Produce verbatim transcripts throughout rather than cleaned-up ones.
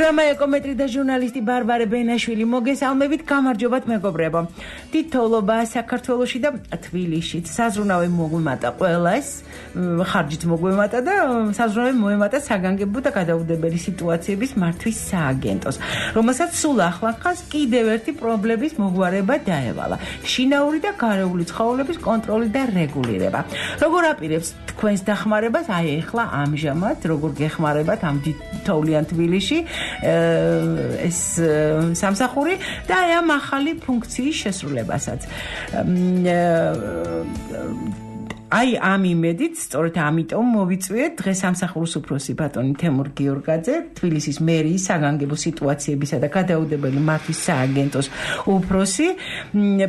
პროგრამა ეკომეტრი და ჟურნალისტი ბარბარე ბენაშვილი მოგესალმებით, გამარჯობათ მეგობრებო. თითოეულობა საქართველოში და თბილისშიც საზრუნავი მოგვიმატა ყველას, ხარჯით მოგვიმატა და საზრუნავი მოემატა საგანგებო და გადაუდებელი სიტუაციების მართვის სააგენტოს, რომელსაც სულ ახლახანს კიდევ ერთი პრობლემის მოგვარება დაევალა. შინაური და გარეული ცხოველების კონტროლი და რეგულირება. როგორ აპირებს თქვენს დახმარებას აი ახლა ამჟამად, როგორ გეხმარებათ ამ თოვლიან თბილისში ეს სამსახური და ამ ახალი ფუნქციის შესრულებასაც. აი ამ იმედით, სწორედ ამიტომ მოვიწვიეთ დღეს სამსახურის უფროსი ბატონი თემურ გიორგაძე, თბილისის მერიის საგანგებო სიტუაციებისა და გადაუდებელი მართვის სააგენტოს უფროსი.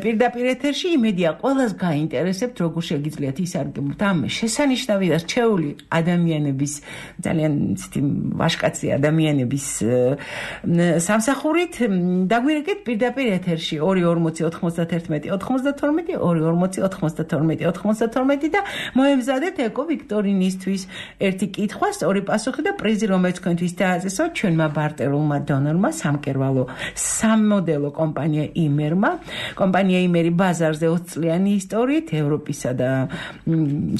პირდაპირ ეთერში იმედია ყველას გაინტერესებთ, როგორ შეგიძლიათ ისარგებლოთ ამ შესანიშნავი და რჩეული ადამიანების, ძალიან ისეთი ვაჟკაცი ადამიანების სამსახურით. დაგვირეკეთ პირდაპირ ეთერში ორი ორმოცი ოთხმოცდათერთმეტი ოთხმოცდათორმეტი ორი ორმოცი ოთხმოცდათორმეტი ოთხმოცდათორმეტი და მოემზადეთ ეკო ვიქტორინისთვის ერთი კითხვა, სწორი პასუხი და პრიზი, რომელიც თქვენთვის დააწესოთ ჩვენმა ბარტერულმა დონორმა, სამკერვალო სამმოდელო კომპანია იმერმა. კომპანია იმერი ბაზარზე ოცი წლიანი ისტორიით, ევროპისა და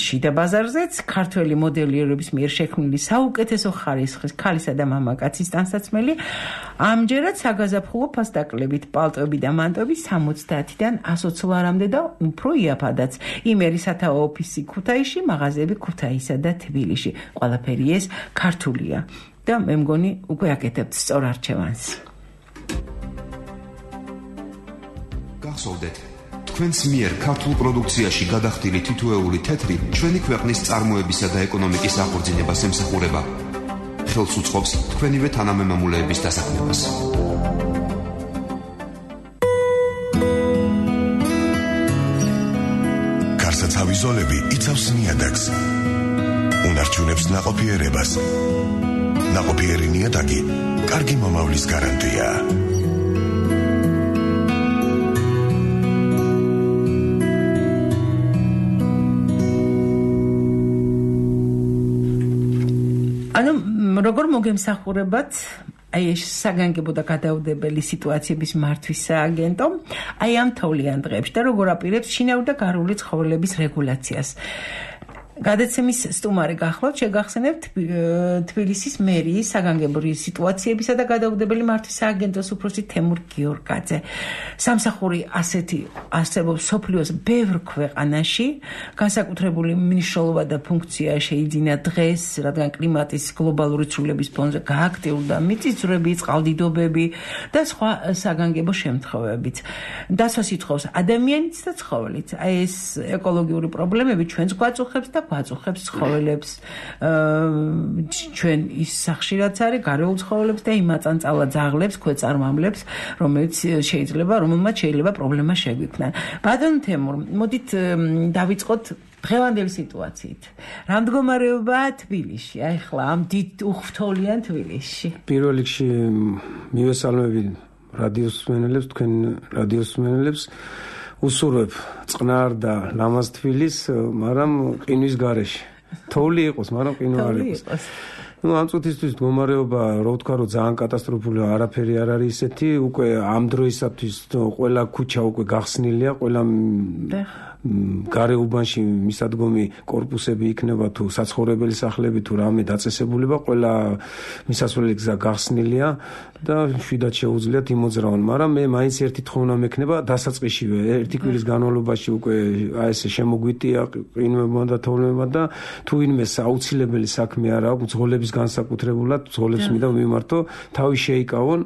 შიდა ბაზარზეც, ქართველი მოდელიერების მიერ შექმნილი საუკეთესო ხარისხის ქალისა და მამაკაცის ტანსაცმელი. ამჯერად საგაზაფხულო ფასდაკლებით პალტოები და მანტოები სამოცდაათიდან ასი ლარამდე და უფრო იაფადაც. იმერი სათაო ოფისი ქუთაისში, მაღაზიები ქუთაისსა და თბილისში. ყველაფერი ეს ქართულია და მე მგონი უკვე აკეთებთ სწორ არჩევანს. გახსოვდეთ, თქვენს მიერ ქართულ პროდუქციაში გადახდილი თითოეული თეთრი ჩვენი ქვეყნის წარმოებისა და ეკონომიკის აღორძინებას ემსახურება. ხელს უწყობს თქვენივე თანამემამულეების დასაქმებას. გარსაცავი ზოლები იცავს ნიადაგს, უნარჩუნებს ნაყოფიერებას. ნაყოფიერი ნიადაგი კარგი მომავლის გარანტია. ანუ როგორ მოგემსახურებათ აი ეს საგანგებო და გადაუდებელი სიტუაციების მართვის სააგენტო აი ამ თოვლიან დღეებში და როგორ აპირებს შინაური და გარეული ცხოველების რეგულაციას. გადაცემის სტუმარი გახლავთ, შეგახსენებთ თბილისის მერიის საგანგებო სიტუაციებისა და გადაუდებელი მართვის სააგენტოს უფროსი თემურ გიორგაძე. სამსახური ასეთი არსებობს სოფლიოს ბევრ ქვეყანაში, განსაკუთრებული მნიშვნელობა და ფუნქცია შეიძინა დღეს, რადგან კლიმატის გლობალური ცვლილების ფონზე გააქტიურდა მიწისძვრები, წყალდიდობები და სხვა საგანგებო შემთხვევებიც. დასვას ითხოვს ადამიანიც და ცხოველიც. აი ეს ეკოლოგიური პრობლემები ჩვენს გვაწუხებს და გვაწუხებს ცხოველებს, ჩვენ ის სახში რაც არის, გარეულ ცხოველებს და იმაწანწალა ძაღლებს, ქვეწარმამლებს, რომელიც შეიძლება, რომელმაც შეიძლება პრობლემა შეგვიქმნან. ბატონ თემურ, მოდით დავიწყოთ დღევანდელი სიტუაციით. რა მდგომარეობაა თბილისში? აი ხლა ამ დიდ უხთოლიან თბილისში. პირველ რიგში მივესალმები რადიოს მსმენელებს, თქვენ რადიოს მსმენელებს. უსურვებ წყნარ და ლამაზ თბილისს, მაგრამ ყინვის გარეშე. თოვლი იყოს, მაგრამ ყინვა არ იყოს. ну ამ წუთისთვის მდგომარეობა, რა ვთქვა, რომ ძალიან კატასტროფულია, არაფერი არ არის ისეთი, უკვე ამ დროისათვის ყველა ქუჩა უკვე გახსნილია, ყველა გარეუბანში მისადგომი კორპუსები იქნება თუ საცხოვრებელი სახლები თუ რამე დაწესებულება, ყველა მისასვლელი გზა გახსნილია და შვიდად შეუძლიათ იმოძრავონ, მაგრამ მე მაინც ერთი თხოვნა მექნება დასაწყისშივე, ერთი კვირის განმავლობაში უკვე აი ესე შემოგვიტია ყინვებმა და თოვლებმა და თუ ვინმე აუცილებელი საქმე არ აქვს ძღოლების განსაკუთრებულად, ძღოლებს მინდა მიმართო, თავი შეიკავონ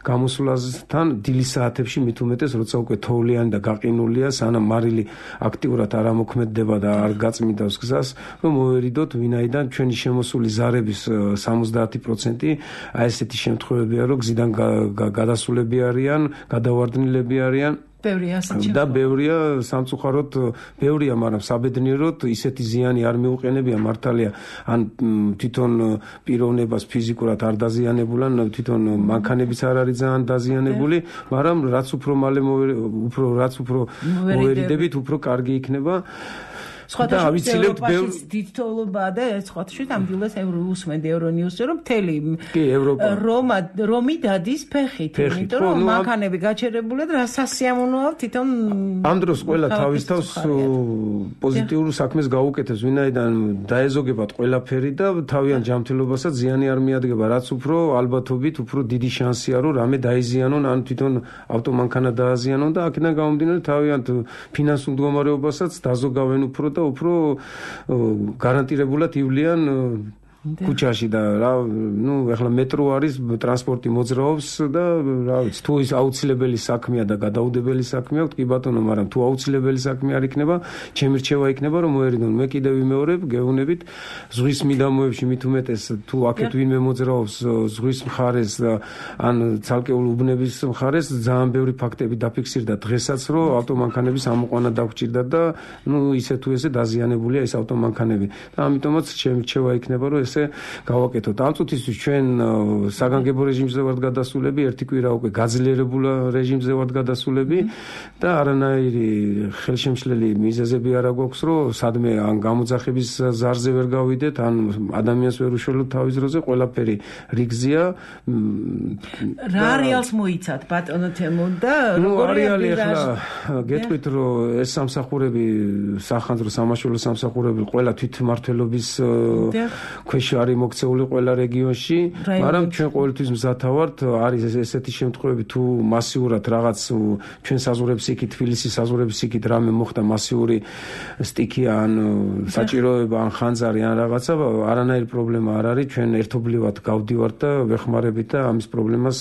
გამოსვლასთან დილის საათებში, მით უმეტეს როცა უკვე თოვლიანი და გაყინულია, სანამ მარილი აქტიურად არ ამოქმედდება და არ გაწმიდავს გზას, რომ მოვერიდოთ ვინაიდან ჩვენი შემოსული ზარების სამოცდაათი პროცენტი აი ესეთი შემთხვევებია, რომ გზიდან გადასულები არიან, გადავარდნილები არიან. ბევრია ასეთი. და ბევრია სამწუხაროდ, ბევრია, მაგრამ საბედნიეროდ ისეთი ზიანი არ მიუყენებია მართალია, ან თვითონ პიროვნებას ფიზიკურად არ დაზიანებულან, თვითონ მანქანებიც არ არის ძალიან დაზიანებული, მაგრამ რაც უფრო მალე უფრო რაც უფრო მოვერიდებით, უფრო კარგი იქნება. სხვათა შორის ევროპაში დიდთოლებაა და სხვათა შორის ამდილას ევროუსმენდი ევრონიუსზე რომ მთელი რომა რომი დადის ფეხით, იმიტომ რომ მანქანები გაჩერებულად რა სასიამოვნოა თვითონ ამ დროს ყველა თავის თავს პოზიტიურ საქმეს გაუკეთებს, ვინაიდან დაეზოგებათ ყველაფერი და თავიანთ ჯანმრთელობასაც ზიანი არ მიადგება, რაც უფრო ალბათობით უფრო დიდი შანსია რომ რამე დაიზიანონ ან თვითონ ავტომანქანა დააზიანონ და აქედან გამომდინარე თავიანთ ფინანსურ მდგომარეობასაც დაზოგავენ უფრო და უფრო გარანტირებულად ივლიან ქუჩაში და რა ნუ ეხლა მეტრო არის ტრანსპორტი მოძრაობს და რა ვიცი თუ ის აუცილებელი საქმეა და გადაუდებელი საქმეა კი ბატონო მაგრამ თუ აუცილებელი საქმე არ იქნება ჩემი რჩევა იქნება რომ მოერიდონ მე კიდევ ვიმეორებ გეუბნებით ზღვის მიდამოებში მით უმეტეს თუ აქეთ ვინმე მოძრაობს ზღვის მხარეს ან ცალკეულ უბნების მხარეს ძალიან ბევრი ფაქტები დაფიქსირდა დღესაც რომ ავტომანქანების ამოყვანა დაგვჭირდა და ნუ ისე თუ ესე დაზიანებულია ეს ავტომანქანები და ამიტომაც ჩემი რჩევა იქნება რომ გავაკეთოთ. ამ წუთისთვის ჩვენ საგანგებო რეჟიმზე ვართ გადასულები, ერთი კვირა უკვე გაძლიერებულ რეჟიმზე ვართ გადასულები და არანაირი ხელშემშლელი მიზეზები არ აქვს, რომ სადმე ან გამოძახების ზარზე ვერ გავიდეთ, ან ადამიანს ვერ უშველოთ თავის დროზე, ყველაფერი რიგზია. რა რეალს მოიცათ ბატონო თემო და როგორი ახლა გეტყვით, რომ ეს სამსახურები, სახანძრო სამაშველო სამსახურები ყველა თვითმმართველობის ქვეშ არის მოქცეული ყველა რეგიონში, მაგრამ ჩვენ ყოველთვის მზათა ვართ, არის ესეთი შემთხვევები თუ მასიურად რაღაც ჩვენ საზღვრებს იქით, თბილისის საზღვრებს იქით რამე მოხდა მასიური სტიქი ან საჭიროება ან ხანძარი ან რაღაცა, არანაირი პრობლემა არ არის, ჩვენ ერთობლივად გავდივართ და ვეხმარებით და ამის პრობლემას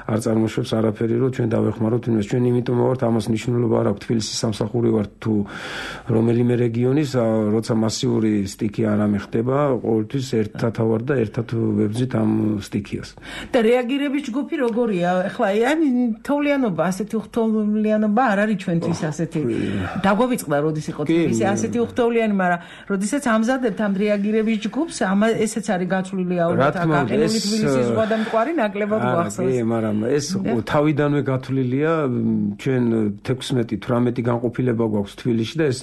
არ წარმოშობს არაფერი, რომ ჩვენ დავეხმაროთ იმას. ჩვენ იმიტომ ვართ ამას მნიშვნელობა არ აქვს თბილისის სამსახური ვართ თუ რომელიმე რეგიონის, როცა მასიური სტიქი არ ამეხდება, ყოველთვის ერთად ვარ და ერთად ვებძით ამ სტიქიას. და რეაგირების ჯგუფი როგორია? ეხლა ან თოვლიანობა, ასეთი უხთოვლიანობა არ არის ჩვენთვის ასეთი. დაგვაწყდა როდის იყო თბილისი ასეთი უხთოვლიანი, მაგრამ როდესაც ამზადებთ ამ რეაგირების ჯგუფს, ამ ესეც არის გაცვლილი აუროთ აკაკენული თბილისის ზღვა და მტკვარი ნაკლებად გვახსოვს. კი, მაგრამ ეს თავიდანვე გათვლილია, ჩვენ თექვსმეტი თვრამეტი განყოფილება გვაქვს თბილისში და ეს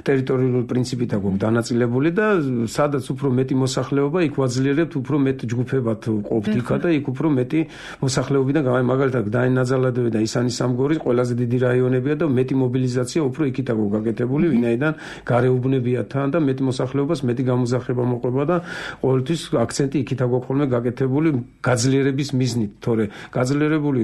ტერიტორიული პრინციპით აქვს დანაწილებული და სადაც უფრო მეტი მოსახლეობა იქ ვაძლიერებთ უფრო მეტ ჯგუფებად ყოფთ იქა და იქ უფრო მეტი მოსახლეობიდან გამაი მაგალითად დაინაძალადები და ისანი სამგორის ყველაზე დიდი რაიონებია და მეტი მობილიზაცია უფრო იქით აქვს გაკეთებული, ვინაიდან გარეუბნებია თან და მეტი მოსახლეობას მეტი გამოძახება მოყვება და ყოველთვის აქცენტი იქით აქვს ხოლმე გაკეთებული გაძლიერების მიზნით, თორე გაძლიერებული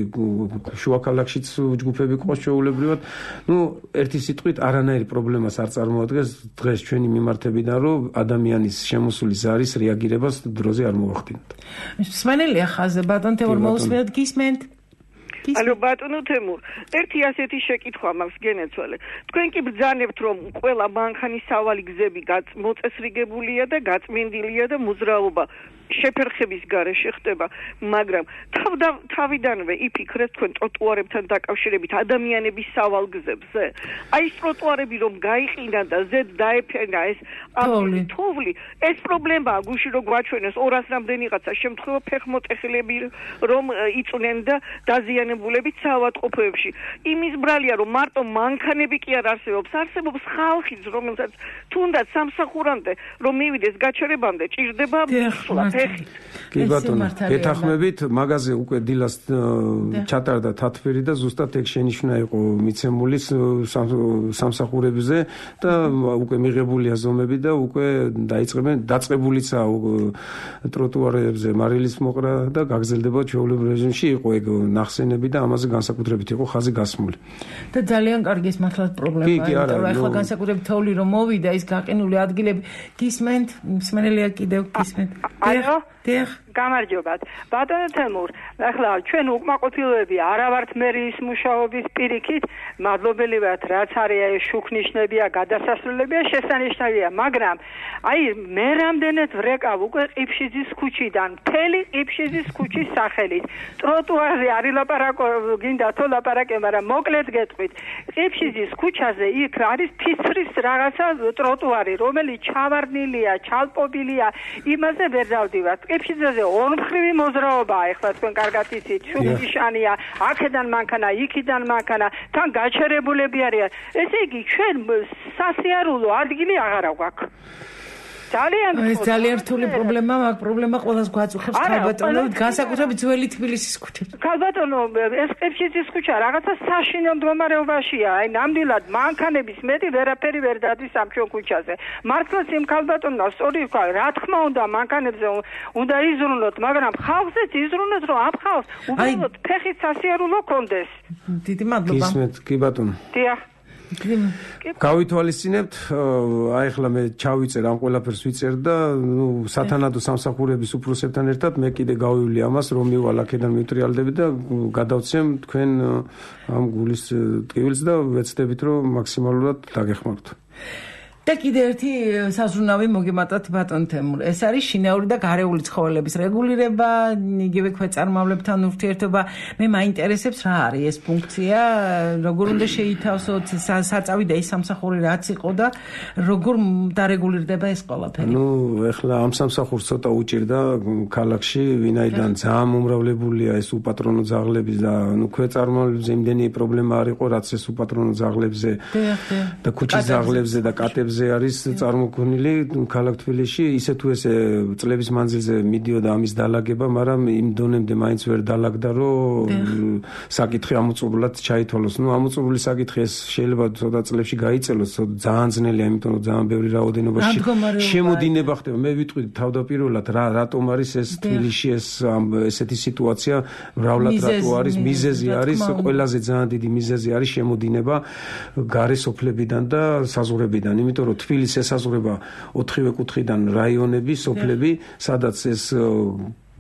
შუა ქალაქშიც ჯგუფები ყავს ჩვეულებრივად, ნუ ერთი სიტყვით არანაირი პრობლემას არ წარმოადგენს დღეს ჩვენი მიმართებიდან, რომ ადამიანის შემოსული ზარის რეაგირებას დროზე არ მოახდინოთ. მსმენელია ხაზზე ბატონ თემურ მოусმინოთ გისმენთ? ალო ბატონო თემურ, ერთი ასეთი შეკითხვა მაქვს გენეცვალე. თქვენ კი ბრძანებთ რომ ყველა მანქანის სავალი გზები მოწესრიგებულია და გაწმინდილია და მოძრაობა შეფერხების გარეშე ხდება, მაგრამ თავიდანვე იფიქრეთ თქვენ ტროტუარებთან დაკავშირებით ადამიანების სავალ გზებზე. აი ეს ტროტუარები რომ გაიყინა და ზედ დაეფენა ეს თოვლი, ეს პრობლემაა გუში რომ გვაჩვენეს ორას რამდენიღაცა შემთხვევა ფეხმოწეხილები რომ იწვნენ და დაზიანებულებით საავადმყოფოებში. იმის ბრალია რომ მარტო მანქანები კი არ არსებობს, არსებობს ხალხიც, რომელსაც თუნდაც სამსახურამდე რომ მივიდეს გაჩერებამდე ჭირდება მისვლა. კი ბატონო, გეთახმებით, მაღაზე უკვე დილას ჩატარდა თათბირი და ზუსტად ეგ შენიშვნა იყო მიცემული სამსახურებზე და უკვე მიღებულია ზომები და უკვე დაიწყებენ დაწყებულიცაა ტროტუარებზე მარილის მოყრა და გაგრძელდება ჩვეულებრივ რეჟიმში იყო ეგ ნახსენები და ამაზე განსაკუთრებით იყო ხაზი გასმული. და ძალიან კარგი ეს მართლაც პრობლემაა, იმიტომ რომ ახლა განსაკუთრებით თოვლი რომ მოვიდა ის გაყინული ადგილები გისმენთ, მსმენელია კიდევ გისმენთ. ალო, დიახ. გამარჯობათ. ბატონო თემურ, ახლა ჩვენ უკმაყოფილოები არა ვართ მერიის მუშაობის პირიქით, მადლობელი ვართ, რაც არის ეს შუქნიშნებია, გადასასრულებია, შესანიშნავია, მაგრამ აი მე რამდენად ვრეკავ უკვე ყიფშიძის ქუჩიდან, მთელი ყიფშიძის ქუჩის სახელით. ტროტუარზე არის ლაპარაკი ლაპარაკო გინდა თუ ლაპარაკე, მაგრამ მოკლედ გეტყვით. ყიფშიძის ქუჩაზე იქ არის ფიცრის რაღაცა ტროტუარი, რომელიც ჩავარდნილია, ჩალპობილია, იმაზე ვერ დავდივართ. ყიფშიძეზე ორმხრივი მოძრაობაა, ეხლა თქვენ კარგად იცით, შუბიშანია, აქედან მანქანა, იქიდან მანქანა, თან გაჩერებულები არიან. ესე იგი, ჩვენ სასიარულო ადგილი აღარა გვაქვს. ძალიან ეს ძალიან რთული პრობლემაა, მაგ პრობლემა ყველას გვაწუხებს ქალბატონო, განსაკუთრებით ძველი თბილისის ქუჩაზე. ქალბატონო, ეს ყიფშიძის ქუჩა რაღაცა საშინო მდგომარეობაშია. აი, ნამდვილად მანქანების მეტი ვერაფერი ვერ დადის ამ ჩვენ ქუჩაზე. მართლაც იმ ქალბატონმა სწორი ვქვა, რა თქმა უნდა, მანქანებზე უნდა იზრუნოთ, მაგრამ ხალხზეც იზრუნოთ, რომ ამ ხალხს უბრალოდ ფეხით სასიარულო კონდეს. დიდი მადლობა. გისმენთ, კი ბატონო. დიახ. გავითვალისწინებთ, აი ახლა მე ჩავიწერ ამ ყველაფერს ვიწერ და ნუ სათანადო სამსახურების უფროსებთან ერთად მე კიდე გავივლი ამას, რომ მივალ აქედან მივტრიალდები და გადავცემ თქვენ ამ გულის ტკივილს და ვეცდებით, რომ მაქსიმალურად დაგეხმაროთ. და კიდე ერთი საზრუნავი მოგემატათ ბატონ თემურ. ეს არის შინაური და გარეული ცხოველების რეგულირება, იგივე ქვეწარმავლებთან ურთიერთობა. მე მაინტერესებს რა არის ეს ფუნქცია, როგორ უნდა შეითავსოთ, საწავი და ის სამსახური რაც იყო და როგორ დარეგულირდება ეს ყველაფერი. ნუ ეხლა ამ სამსახურს ცოტა უჭირდა ქალაქში, ვინაიდან ძალიან მომრავლებულია ეს უპატრონო ძაღლების და ნუ ქვეწარმავლებზე იმდენი პრობლემა არ იყო, რაც ეს უპატრონო ძაღლებზე და ქუჩის ძაღლებზე და კატებზე არის წარმოქმნილი ქალაქ თბილისში, ისე თუ ესე წლების მანძილზე მიდიოდა ამის დალაგება, მაგრამ იმ დონემდე მაინც ვერ დალაგდა, რომ საკითხი ამოწურულად ჩაითვალოს. ნუ ამოწურული საკითხი ეს შეიძლება ცოტა წლებში გაიწელოს, ძალიან ძნელია, იმიტომ რომ ძალიან ბევრი რაოდენობაში შემოდინება ხდება. მე ვიტყვი თავდაპირველად რა რატომ არის ეს თბილისში ეს ესეთი სიტუაცია, მრავლად რატო არის, მიზეზი არის, ყველაზე ძალიან დიდი მიზეზი არის შემოდინება გარე სოფლებიდან და საზღვრებიდან, იმიტომ რომ თბილისს ესაზღვრება ოთხივე კუთხიდან რაიონები, სოფლები, სადაც ეს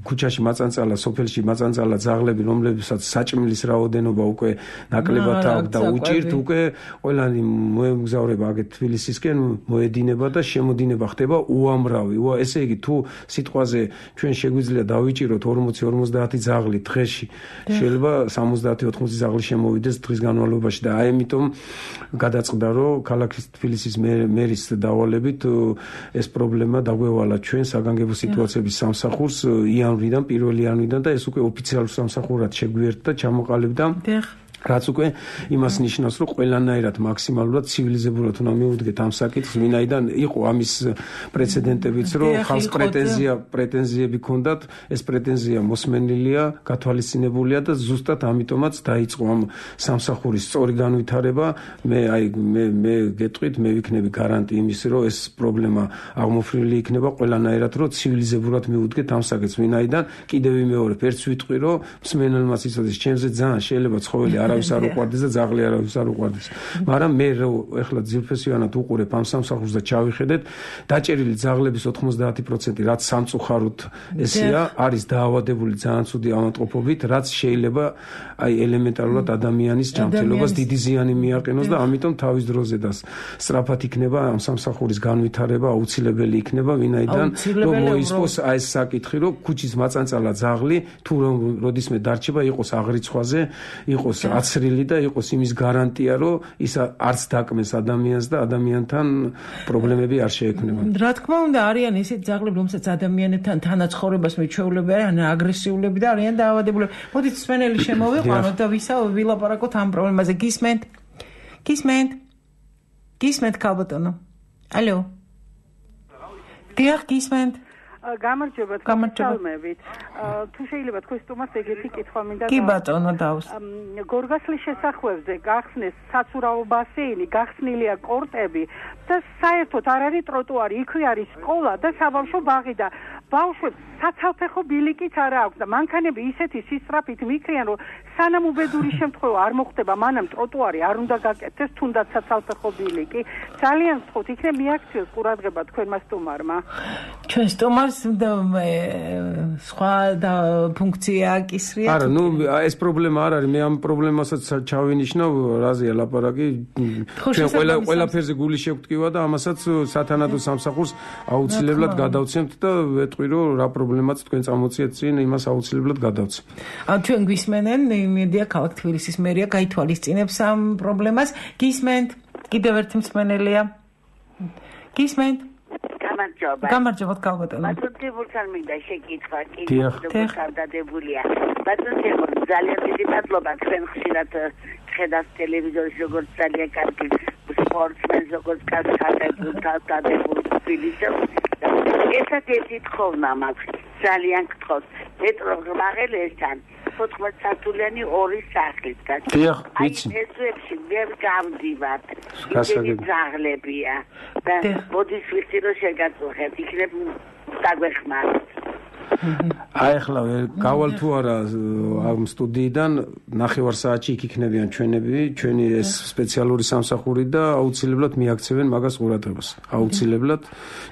ქუჩაში მაწანწალა, სოფელში მაწანწალა ძაღლები, რომლებსაც საჭმლის რაოდენობა უკვე ნაკლებად აქვს და უჭირთ, უკვე ყველანი მოემგზავრება აგეთ თბილისისკენ, მოედინება და შემოდინება ხდება უამრავი. ესე იგი, თუ სიტყვაზე ჩვენ შეგვიძლია დავიჭიროთ ორმოცი ორმოცდაათი ძაღლი დღეში, შეიძლება სამოცდაათი ოთხმოცი ძაღლი შემოვიდეს დღის განმავლობაში და აი ამიტომ გადაწყდა, რომ ქალაქის თბილისის მერის დავალებით ეს პრობლემა დაგვევალა ჩვენ საგანგებო სიტუაციების სამსახურს იანვრიდან, პირველი იანვრიდან და ეს უკვე ოფიციალურ სამსახურად შეგვიერთდა, ჩამოყალიბდა. რაც უკვე იმას ნიშნავს, რომ ყველანაირად მაქსიმალურად ცივილიზებურად უნდა მივუდგეთ ამ საკითხს, ვინაიდან იყო ამის პრეცედენტებიც, რომ ხალხს პრეტენზია, პრეტენზიები ჰქონდათ, ეს პრეტენზია მოსმენილია, გათვალისწინებულია და ზუსტად ამიტომაც დაიწყო ამ სამსახურის სწორი განვითარება. მე აი მე მე გეტყვით, მე ვიქნები გარანტი იმის, რომ ეს პრობლემა აღმოფრინველი იქნება ყველანაირად, რომ ცივილიზებურად მივუდგეთ ამ საკითხს, ვინაიდან კიდევ ვიმეორებ, ერთს ვიტყვი, რომ მსმენელმაც იცოდეს, ჩემზე ძალიან შეიძლება ცხოველი არავის არ უყვარდეს და ძაღლი არავის არ უყვარდეს. მაგრამ მე ეხლა ძილფესიანად უყურებ ამ სამსახურს და ჩავიხედეთ, დაჭერილი ძაღლების ოთხმოცდაათი პროცენტი რაც სამწუხაროდ ესეა, არის დაავადებული ძალიან ცუდი ავადმყოფობით, რაც შეიძლება აი ელემენტარულად ადამიანის ჯანმრთელობას დიდი ზიანი მიაყენოს და ამიტომ თავის დროზე და სწრაფად იქნება ამ სამსახურის განვითარება, აუცილებელი იქნება, ვინაიდან რომ მოისპოს აი ეს საკითხი, რომ ქუჩის მაწანწალა ძაღლი თუ როდისმე დარჩება, იყოს აღრიცხვაზე, იყოს აცრილი და იყოს იმის გარანტია, რომ ის არც დაკმეს ადამიანს და ადამიანთან პრობლემები არ შეექმნება. რა თქმა უნდა, არიან ისეთ ძაღლები, რომელსაც ადამიანებთან თანაცხოვრებას მიჩვეულები არიან, აგრესიულები და არიან დაავადებულები. მოდით სვენელი შემოვიყვანოთ და ვილაპარაკოთ ამ პრობლემაზე. გისმენთ? გისმენთ? გისმენთ ქალბატონო? ალო? დიახ, გისმენთ? გამარჯობა, თვალმებით. თუ შეიძლება თქვენ სტუმარს ეგეთი კითხვა მინდა. კი ბატონო, დავს. გორგასლის შესახვევზე გახსნეს საცურაო ბასეინი, გახსნილია კორტები და საერთოდ არ არის ტროტუარი, იქვე არის სკოლა და საბავშვო ბაღი და ბავშვებს საცალფეხო ბილიკიც არ აქვს და მანქანები ისეთი სისწრაფით მიქრიან, რომ სანამ უბედური შემთხვევა არ მოხდება, მანამ ტროტუარი არ უნდა გაკეთდეს, თუნდაც საცალფეხო ბილიკი. ძალიან ვთქვით, იქნებ მიაქციოს ყურადღება თქვენმა სტუმარმა. ჩვენ სტუმარს სხვა და ფუნქცია აკისრია. არა, ნუ ეს პრობლემა არ არის, მე ამ პრობლემასაც ჩავინიშნავ, რაზეა ლაპარაკი. ჩვენ ყველა ყველაფერზე გული შევტკივა და ამასაც სათანადო სამსახურს აუცილებლად გადავცემთ და ვიტყვი, რომ რა პრობლემაც თქვენ წამოწიეთ წინ, იმას აუცილებლად გადავცი. ან ჩვენ გვისმენენ, იმედია ქალაქ თბილისის მერია გაითვალისწინებს ამ პრობლემას. გისმენთ? კიდევ ერთი მსმენელია. გისმენთ? გამარჯობა. გამარჯობა ქალბატონო. ბატონებულთან მინდა შეკითხვა, კი დიახ. თავდადებულია. ბატონებო, ძალიან დიდი მადლობა, თქვენ ხშირად ხედავთ ტელევიზორში, როგორც ძალიან კარგი სპორტსმენს, როგორც კარგი თავდადებული თბილისში. ესეთი თხოვნა მაქვს, ძალიან გთხოვთ. მეტრო ღმაღელესთან ოთხმოცდაათი სართულიანი ორი სახლით გაჩვენეთ. დიახ, ვიცი. აი ესებში ვერ გავდივართ. გასაგები. ისეთი ძაღლებია. და მოდის ვიცი რომ შეგაწუხეთ, იქნებ დაგვეხმაროთ. აი ახლა გავალ თუ არა ამ სტუდიიდან ნახევარ საათში იქ იქნებიან ჩვენები, ჩვენი ეს სპეციალური სამსახური და აუცილებლად მიაქცევენ მაგას ყურადღებას. აუცილებლად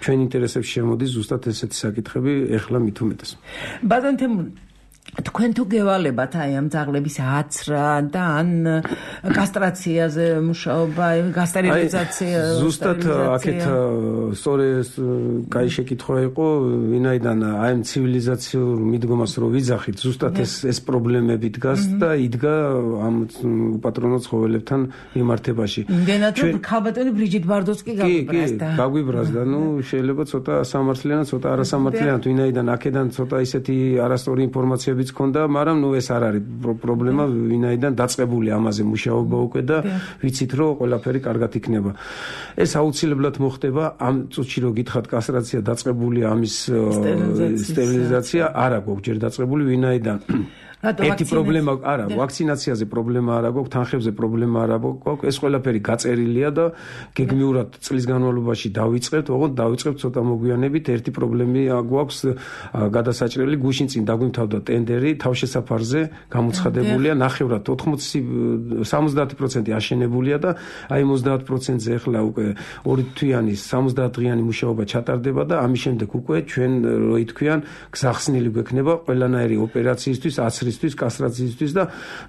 ჩვენ ინტერესებში შემოდის ზუსტად ესეთი საკითხები, ეხლა მით უმეტეს. ბატონ თემურ, თქვენ თუ გევალებათ აი ამ ძაღლების აცრა და ან კასტრაციაზე მუშაობა, გასტერილიზაცია, ზუსტად აქეთ სწორი კაი შეკითხვა იყო, ვინაიდან აი ამ ცივილიზაციურ მიდგომას რო ვიძახით, ზუსტად ეს ეს პრობლემები დგას და იდგა ამ უპატრონო ცხოველებთან მიმართებაში. იმდენად რომ ქალბატონი ბრიჯიტ ბარდოსკი გაგვიბრას და გაგვიბრას და ნუ შეიძლება ცოტა სამართლიანად, ცოტა არასამართლიანად, ვინაიდან აქედან ცოტა ისეთი არასწორი ინფორმაციებიც ქონდა, მაგრამ ნუ ეს არ არის პრობლემა, ვინაიდან დაწყებული ამაზე მუშაობა უკვე და ვიცით რომ ყველაფერი კარგად იქნება. ეს აუცილებლად მოხდება, ამ წუთში რო გითხათ კასტრაცია დაწყებული, ამის სტერილიზაცია არა გვაქვს ჯერ დაწყებული, ვინაიდან ერთი პრობლემა არა, ვაქცინაციაზე პრობლემა არა გვაქვს, თანხებზე პრობლემა არა გვაქვს, ეს ყველაფერი გაწერილია და გეგმიურად წლის განმავლობაში დავიწყებთ, ოღონდ დავიწყებთ ცოტა მოგვიანებით, ერთი პრობლემა გვაქვს გადასაჭრელი, გუშინ წინ დაგვიმთავდა ტენდერი თავშესაფარზე, გამოცხადებულია, ნახევრად ოთხმოცი სამოცდაათი პროცენტი აშენებულია და აი ოცდაათ პროცენტზე ახლა უკვე ორი თვიანი სამოცდაათ დღიანი მუშაობა ჩატარდება და ამის შემდეგ უკვე ჩვენ რო ითქვიან, გზახსნილი გვექნება ყველანაირი ოპერაციისთვის, აცრის კასტრაციისთვის და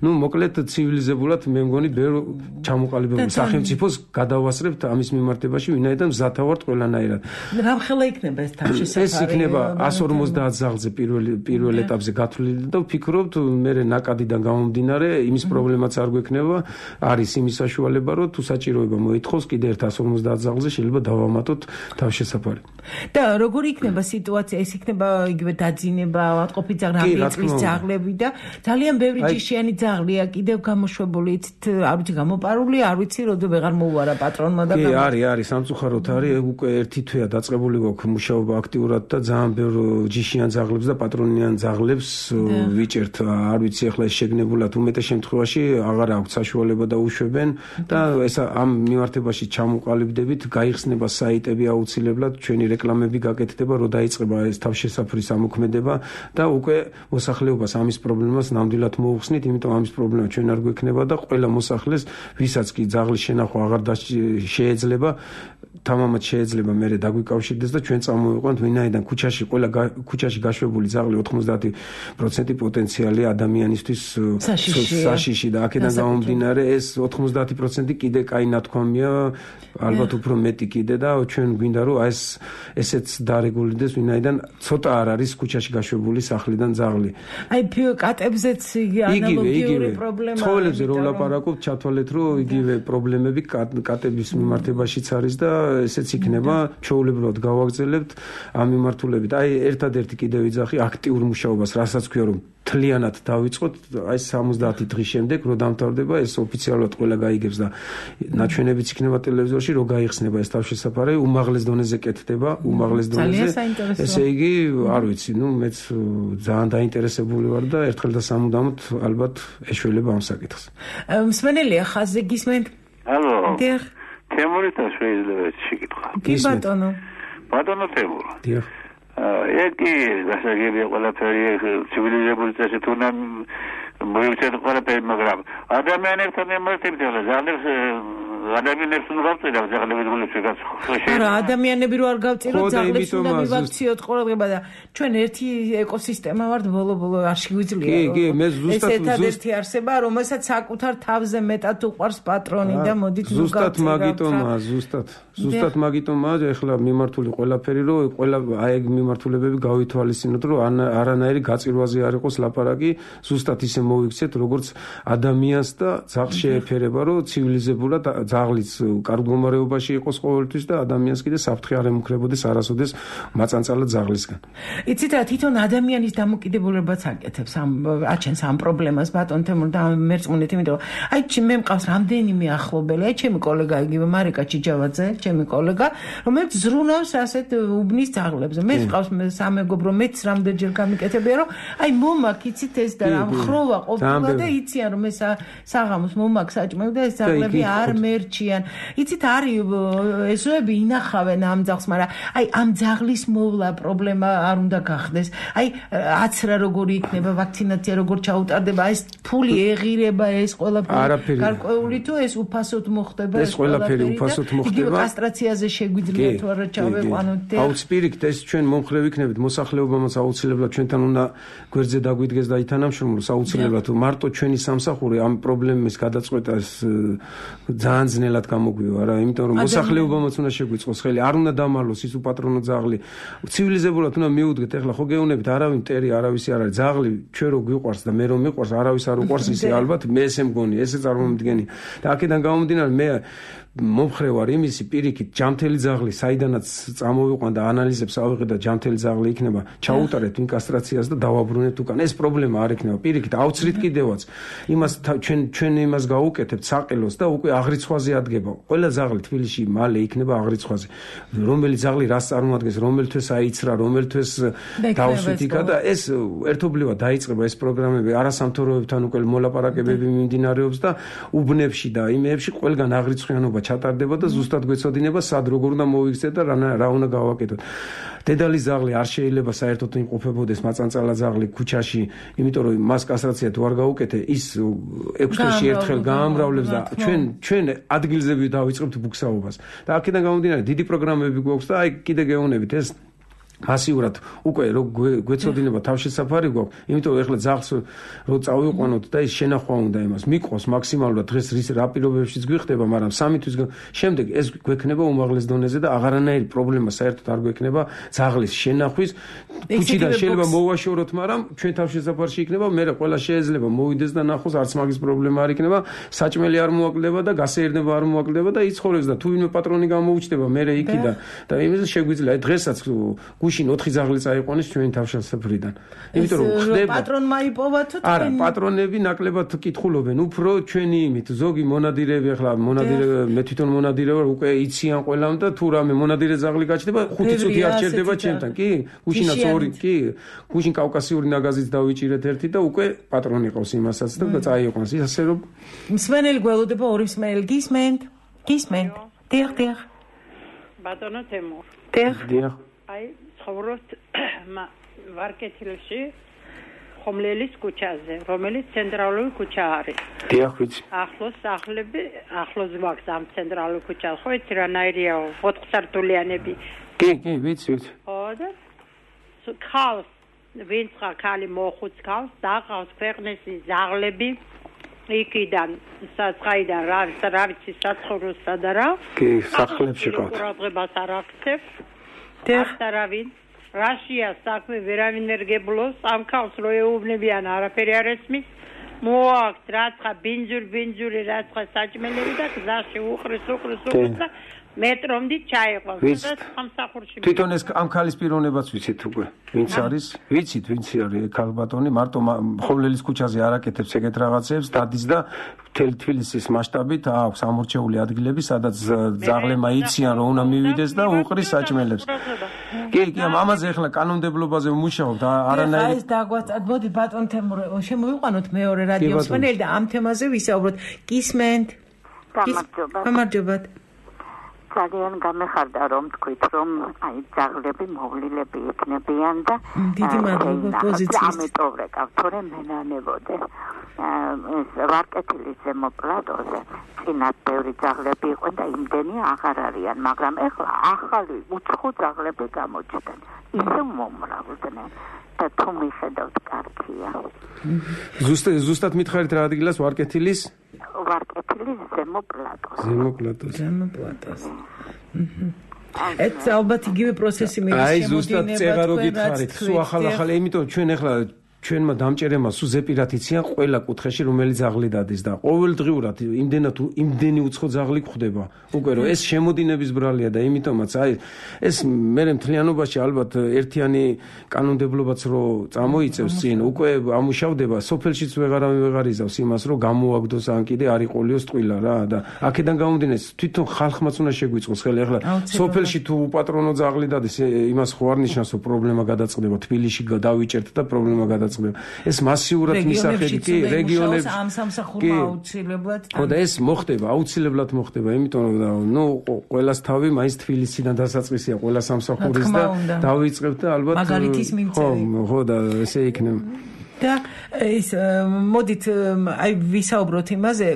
ნუ მოკლედ ცივილიზებულად მე მგონი ბევრ ჩამოყალიბებულ სახელმწიფოს გადავასწრებთ ამის მიმართებაში, ვინაიდან მზათავართ ყველანაირად. რა ხელა იქნება ეს თავშესაფარი? ეს იქნება εκατს ორმოცდაათ ძაღლზე პირველ პირველ ეტაპზე გათვლილი და ვფიქრობთ მე ნაკადიდან გამომდინარე იმის პრობლემაც არ გვექნება, არის იმის საშუალება რომ თუ საჭიროება მოითხოვს კიდე εκατს ორმოცდაათ ძაღლზე შეიძლება დავამატოთ თავშესაფარი. და როგორი იქნება სიტუაცია? ეს იქნება იგივე დაძინება, ავადმყოფი ძაღლი, ამბიეწვის ძაღლები და ძალიან ბევრი ჯიშიანი ძაღლია კიდევ გამოშვებული, იცით, არ ვიცი გამოპარული, არ ვიცი როდი ვეღარ მოუარა პატრონმა და კი, არის, არის, სამწუხაროდ არის, უკვე ერთი თვეა დაწყებული გვაქვს მუშაობა აქტიურად და ძალიან ბევრ ჯიშიან ძაღლებს და პატრონიან ძაღლებს ვიჭერთ, არ ვიცი ახლა ეს შეგნებულად უმეტეს შემთხვევაში აღარ აქვს საშუალება და უშვებენ და ეს ამ მიმართებაში ჩამოყალიბდებით, გაიხსნება საიტები აუცილებლად, ჩვენი რეკლამები გაკეთდება, რომ დაიწყება ეს თავშესაფრის ამოქმედება და უკვე მოსახლეობას ამის პრობლემას ნამდვილად მოუხსნით, იმიტომ ამის პრობლემა ჩვენ არ გვექნება და ყველა მოსახლეს, ვისაც კი ძაღლის შენახვა აღარ შეეძლება, თამამად შეეძლება მერე დაგვიკავშირდეს და ჩვენ წამოვიყვანთ, ვინაიდან ქუჩაში ყველა ქუჩაში გაშვებული ძაღლი ოცდაათი პროცენტი პოტენციალი ადამიანისთვის საშიში და აქედან გამომდინარე ეს ოცდაათი პროცენტი კიდე კაი ნათქვამია, ალბათ უფრო მეტი კიდე და ჩვენ გვინდა რომ ეს ესეც დარეგულირდეს, ვინაიდან ცოტა არ არის ქუჩაში გაშვებული სახლიდან ძაღლი. აი კატებზეც ანალოგიური პრობლემა. ცხოველებზე რო ვლაპარაკობთ, ჩათვალეთ რომ იგივე პრობლემები კატების მიმართებაშიც არის და ესეც იქნება, ჩვეულებრივად გავაგრძელებთ ამ მიმართულებით. აი ერთადერთი კიდევ ვიძახი აქტიურ მუშაობას, რასაც ქვია რომ თლიანად დავიწყოთ, აი სამოცდაათი დღის შემდეგ რო დამთავრდება, ეს ოფიციალურად ყველა გაიგებს და ნაჩვენებიც იქნება ტელევიზორში, რო გაიხსნება ეს თავშესაფარი, უმაღლეს დონეზე კეთდება, უმაღლეს დონეზე. ესე იგი, არ ვიცი, ნუ მეც ძალიან დაინტერესებული ვარ და ერთხელ და სამუდამოდ ალბათ ეშველება ამ საკითხს. მსმენელია ხაზზე გისმენთ? ალო. დიახ. თემურითა შეიძლება შეკითხვა. კი ბატონო. ბატონო თემური. დიახ. ეკი გასაგებია ყველაფერი ცივილიზებული წესით უნდა მოიცეთ ყველაფერი, მაგრამ ადამიანებთან ემართებით ახლა ზალებს ადამიანებს უნდა გავწერა ძაღლების გულებში გასხო. არა, ადამიანები რო არ გავწეროთ, ძაღლებს უნდა მივაქციოთ ყურადღება და ჩვენ ერთი ეკოსისტემა ვართ ბოლო-ბოლო არ შეგვიძლია. კი, კი, მე ზუსტად ეს ერთადერთი არსება, რომელსაც საკუთარ თავზე მეტად უყვარს პატრონი და მოდით ნუ ზუსტად მაგიტომა, ზუსტად. ზუსტად მაგიტომა, ეხლა მიმართული ყველაფერი რომ ყველა აი ეგ მიმართულებები გავითვალისწინოთ, რომ არანაირი გაწირვაზე არ იყოს ლაპარაკი, ზუსტად ისე მოვიქცეთ, როგორც ადამიანს და ძაღლს შეეფერება, რომ ცივილიზებურად ძაღლიც კარგ მდგომარეობაში იყოს ყოველთვის და ადამიანს კიდე საფრთხე არ ემუქრებოდეს არასოდეს მაწანწალად ძაღლისგან. იცით რა, თვითონ ადამიანის დამოკიდებულებაც აკეთებს ამ აჩენს ამ პრობლემას ბატონ თემურ და მერწმუნეთ, იმიტომ აი მე მყავს რამდენიმე ახლობელი, აი ჩემი კოლეგა იგივე მარიკა ჩიჯავაძე, ჩემი კოლეგა, რომელიც ზრუნავს ასეთ უბნის ძაღლებზე. მე მყავს სამეგობრო, მეც რამდენჯერ გამიკეთებია, რომ აი მომაკ იცით ეს და რა ხროვა ყოფილა და იციან რომ ეს საღამოს მომაკ საჭმევ და ეს ძაღლები არ მერჩიან. იცით არის ესოები ინახავენ ამ ძაღლს, მაგრამ აი ამ ძაღლის მოვლა პრობლემა არ უნდა გახდეს. აი აცრა როგორი იქნება, ვაქცინაცია როგორ ჩაუტარდება, ეს ფული ეღირება, ეს ყველაფერი გარკვეული თუ ეს უფასოდ მოხდება, ეს ყველაფერი უფასოდ მოხდება. კასტრაციაზე შეგვიძლია თუ არა ჩავეყვანოთ. აუ სპირიკთ ეს ჩვენ მომხრე ვიქნებით, მოსახლეობამაც აუცილებლად ჩვენთან უნდა გვერდზე დაგვიდგეს და ითანამშრომლოს აუცილებლად თუ მარტო ჩვენი სამსახური ამ პრობლემის გადაწყვეტას ძალიან ძნელად გამოგვივა რა, იმიტომ რომ მოსახლეობამაც უნდა შეგვიწყოს ხელი, არ უნდა დამალოს ის უპატრონო ძაღლი. ცივილიზებულად უნდა მიუდგეთ, ეხლა ხო გეუბნებით, არავინ მტერი, არავისი არ არის, ძაღლი ჩვენ რო გვიყვარს და მე რო მიყვარს, არავის არ უყვარს ისე ალბათ მე ესე მგონი, ესე წარმომიდგენი. და აქედან გამომდინარე მე მომხრე ვარ იმისი პირიქით ჯამთელი ძაღლი საიდანაც წამოვიყვან და ანალიზებს ავიღე და ჯამთელი ძაღლი იქნება ჩაუტარეთ ვინ კასტრაციას და დავაბრუნეთ უკან. ეს პრობლემა არ იქნება პირიქით აუცრით კიდევაც იმას ჩვენ ჩვენ იმას გავუკეთებთ საყელოს და უკვე აღრიცხვაზე ადგება. ყველა ძაღლი თბილისში მალე იქნება აღრიცხვაზე. რომელი ძაღლი რას წარმოადგენს, რომელთვის აიცრა, რომელთვის დავსვით იქა და ეს ერთობლივად დაიწყება ეს პროგრამები არასამთავრობოებთან უკვე მოლაპარაკებები მიმდინარეობს და უბნებში და იმეებში ყველგან აღრიცხვიანობა ჩატარდება და ზუსტად გვეცოდინება სად როგორ უნდა მოვიქცეთ და რა უნდა გავაკეთოთ. დედალი ძაღლი არ შეიძლება საერთოდ იმყოფებოდეს მაწანწალა ძაღლი ქუჩაში, იმიტომ რომ მას კასტრაცია თუ არ გაუკეთე, ის ექვს თვეში ერთხელ გაამრავლებს და ჩვენ ჩვენ ადგილზე დავიწყებთ ბუქსაობას. და აქედან გამომდინარე დიდი პროგრამები გვაქვს და აი კიდე გეუბნებით ეს მასიურად უკვე რო გვეცოდინება თავშესაფარი გვაქვს, იმიტომ რომ ეხლა ძაღლს რო წავიყვანოთ და ის შენახვა უნდა იმას მიყოს მაქსიმალურად დღეს რის რა პირობებშიც გვიხდება, მაგრამ სამი თვის შემდეგ ეს გვექნება უმაღლეს დონეზე და აღარანაირი პრობლემა საერთოდ არ გვექნება ძაღლის შენახვის. ქუჩიდან შეიძლება მოვაშოროთ, მაგრამ ჩვენ თავშესაფარში იქნება, მე ყველა შეიძლება მოვიდეს და ნახოს, არც მაგის პრობლემა არ იქნება, საჭმელი არ მოაკლდება და გასეირნება არ მოაკლდება და იცხოვრებს და თუ ვინმე პატრონი გამოუჩნდება მერე იქიდან და იმის შეგვიძლია დღესაც გუშინ ოთხი ძაღლი წაიყვანეს ჩვენი თავშესაფრიდან. იმიტომ რომ ხდება პატრონმა იპოვა თუ თქვენ? არა, პატრონები ნაკლებად კითხულობენ, უფრო ჩვენი იმით ზოგი მონადირეები ახლა მონადირე მე თვითონ მონადირე ვარ, უკვე იციან ყველამ და თუ რამე მონადირე ძაღლი გაჩნდება, ხუთი წუთი არ ჩერდება ჩემთან, კი? გუშინაც ორი, კი? გუშინ კავკასიური ნაგაზით დავიჭირეთ ერთი და უკვე პატრონი ყავს იმასაც და წაიყვანს. ისე რომ მსმენელი გველოდება ორი მსმენელი გისმენთ? გისმენთ? დიახ, დიახ. ბატონო თემურ. დიახ. დიახ. აი ცხოვრობთ ვარკეთილში ხომლელის ქუჩაზე, რომელიც ცენტრალური ქუჩა არის. დიახ, ვიცი. ახლოს სახლები, ახლოს გვაქვს ამ ცენტრალურ ქუჩას, ხო იცი რანაირია ოთხსართულიანები. კი, კი, ვიცი, ვიცი. ხო და ხავს, ვინც ხალი მოხუც ხავს, დაყავს ქვეყნის ძაღლები იქიდან, საცხაიდან, რა რა ვიცი, საცხოვროსა და რა. კი, სახლებში ყავთ. ყურადღებას არ აქცევს. დახტარავინ რაშია საქმე ვერავინ ერგებლოს ამ ქალს რო ეუბნებიან არაფერი არ ესმის მოაქვს რაცხა ბინძურ ბინძური რაცხა საჭმელები და გზაში უყრის უყრის უყრის და მეტრომდით ჩაიყვანს და სამსახურში თვითონ ეს ამ ქალის პიროვნებაც ვიცით უკვე ვინც არის ვიცით ვინც არის ქალბატონი მარტო ხომლელის ქუჩაზე არ აკეთებს ეგეთ რაღაცებს დადის და მთელი თბილისის მასშტაბით აქვს ამორჩეული ადგილები სადაც ძაღლებმა იციან რომ უნდა მივიდეს და უყრის საჭმელებს კი კი ამაზე ახლა კანონმდებლობაზე ვმუშაობთ არანაირი ეს დაგვაწად მოდი ბატონ თემურ შემოვიყვანოთ მეორე რადიო მსმენელი და ამ თემაზე ვისაუბროთ გისმენთ გამარჯობა გამარჯობა ძალიან გამეხარდა რომ თქვით რომ აი ძაღლები მოვლილები იქნებიან და დიდი მადლობა პოზიციის ამიტომ რეკავ თორემ მენანებოდე ვარკეთილის ზემო პლატოზე წინათ ბევრი ძაღლები იყო და იმდენი აღარ არიან, მაგრამ ეხლა ახალი უცხო ძაღლები გამოჩნდნენ. ისე მომრავლდნენ და თუ მიხედავთ კარგია. ზუსტად ზუსტად მითხარით რა ადგილას ვარკეთილის? ვარკეთილის ზემო პლატოზე. ზემო პლატოზე. ზემო პლატოზე. ეს ალბათ იგივე პროცესი მიდის შემოდინება. აი ზუსტად წერა რო გითხარით, სულ ახალ-ახალი, იმიტომ ჩვენ ეხლა ჩვენმა დამჭერებმა სულ ზეპირად იციან ყველა კუთხეში რომელი ძაღლი დადის და ყოველდღიურად იმდენად იმდენი უცხო ძაღლი გვხვდება. უკვე რომ ეს შემოდინების ბრალია და იმიტომაც აი ეს მე მთლიანობაში ალბათ ერთიანი კანონმდებლობაც რო წამოიწევს წინ უკვე ამუშავდება სოფელშიც ვეღარავინ ვეღარ იზავს იმას რომ გამოაგდოს ან კიდე არ იყოლიოს ტყილა რა და აქედან გამომდინეს თვითონ ხალხმაც უნდა შეგვიწყოს ხელი ახლა სოფელში თუ უპატრონო ძაღლი დადის იმას ხო არ ნიშნავს რომ პრობლემა გადაწყდება თბილისში დავიჭერთ და პრობლემა გადაწყდება ეს მასიურად მისახედი კი რეგიონებში ამ სამსახურმა აუცილებლად ხო და ეს მოხდება აუცილებლად მოხდება იმიტომ რომ ნუ ყველას თავი მაინც თბილისიდან დასაწყისია ყველა სამსახურის და დავიწყებთ და ალბათ მაგალითის მიმწევი ხო ხო და ესე იქნება და ის მოდით აი ვისაუბროთ იმაზე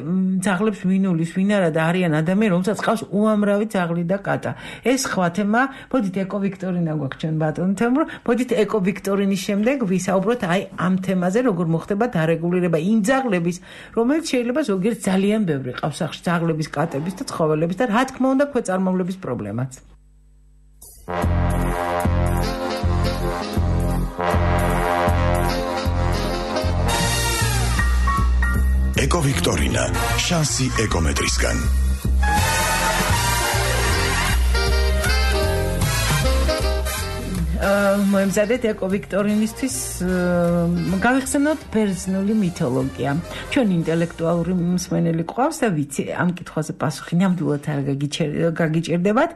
ძაღლებს ვინულის ვინ არა და არიან ადამიანი რომელსაც ყავს უამრავი ძაღლი და კატა ეს სხვა თემა მოდით ეკოვიქტორინა გვაქვს ჩვენ ბატონ თემურ მოდით ეკოვიქტორინის შემდეგ ვისაუბროთ აი ამ თემაზე როგორ მოხდება დარეგულირება იმ ძაღლების რომელიც შეიძლება ზოგიერთ ძალიან ბევრი ყავს სახში ძაღლების კატების და ცხოველების და რა თქმა უნდა ქვეწარმავლების პრობლემაც ეკოვიქტორინა შანსი ეკომეტრისგან მოემზადეთ ეკოვიქტორინისთვის გავიხსენოთ ბერძნული მითოლოგია ჩვენ ინტელექტუალური მსმენელი ყავს და ვიცი ამ კითხვაზე პასუხი ნამდვილად არ გაგიჭირდებათ